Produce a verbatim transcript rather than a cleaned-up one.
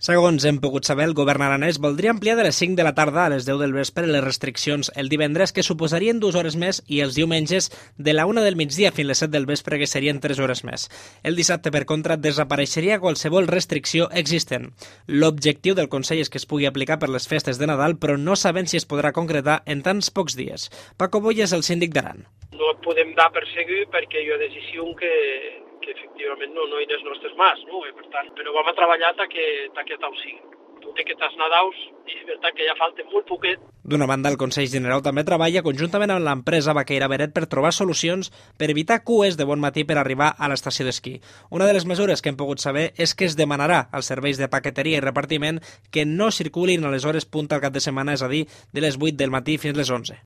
Segons hem pogut saber, el govern aranès voldria ampliar de les cinc de la tarda a les deu del vespre les restriccions el divendres, que suposarien dues hores més, i els diumenges de la una del migdia fins les set del vespre, que serien tres hores més. El dissabte, per contra, desapareixeria qualsevol restricció existent. L'objectiu del Consell és que es pugui aplicar per les festes de Nadal, però no sabem si es podrà concretar en tants pocs dies. Paco Boy és el síndic d'Aran. No et podem dar per segur perquè hi ha decisió que, que efectivament no, no hi ha les nostres mans, no? I per tant, però vam a treballar ta que, ta que tal sigui. Tot i que t'has Nadaus, i és veritat que ja falta molt poquet. D'una banda, el Consell General també treballa conjuntament amb l'empresa Vaqueira Beret per trobar solucions per evitar cues de bon matí per arribar a l'estació d'esquí. Una de les mesures que hem pogut saber és que es demanarà als serveis de paqueteria i repartiment que no circulin a les hores punta al cap de setmana, és a dir, de les vuit del matí fins les onze.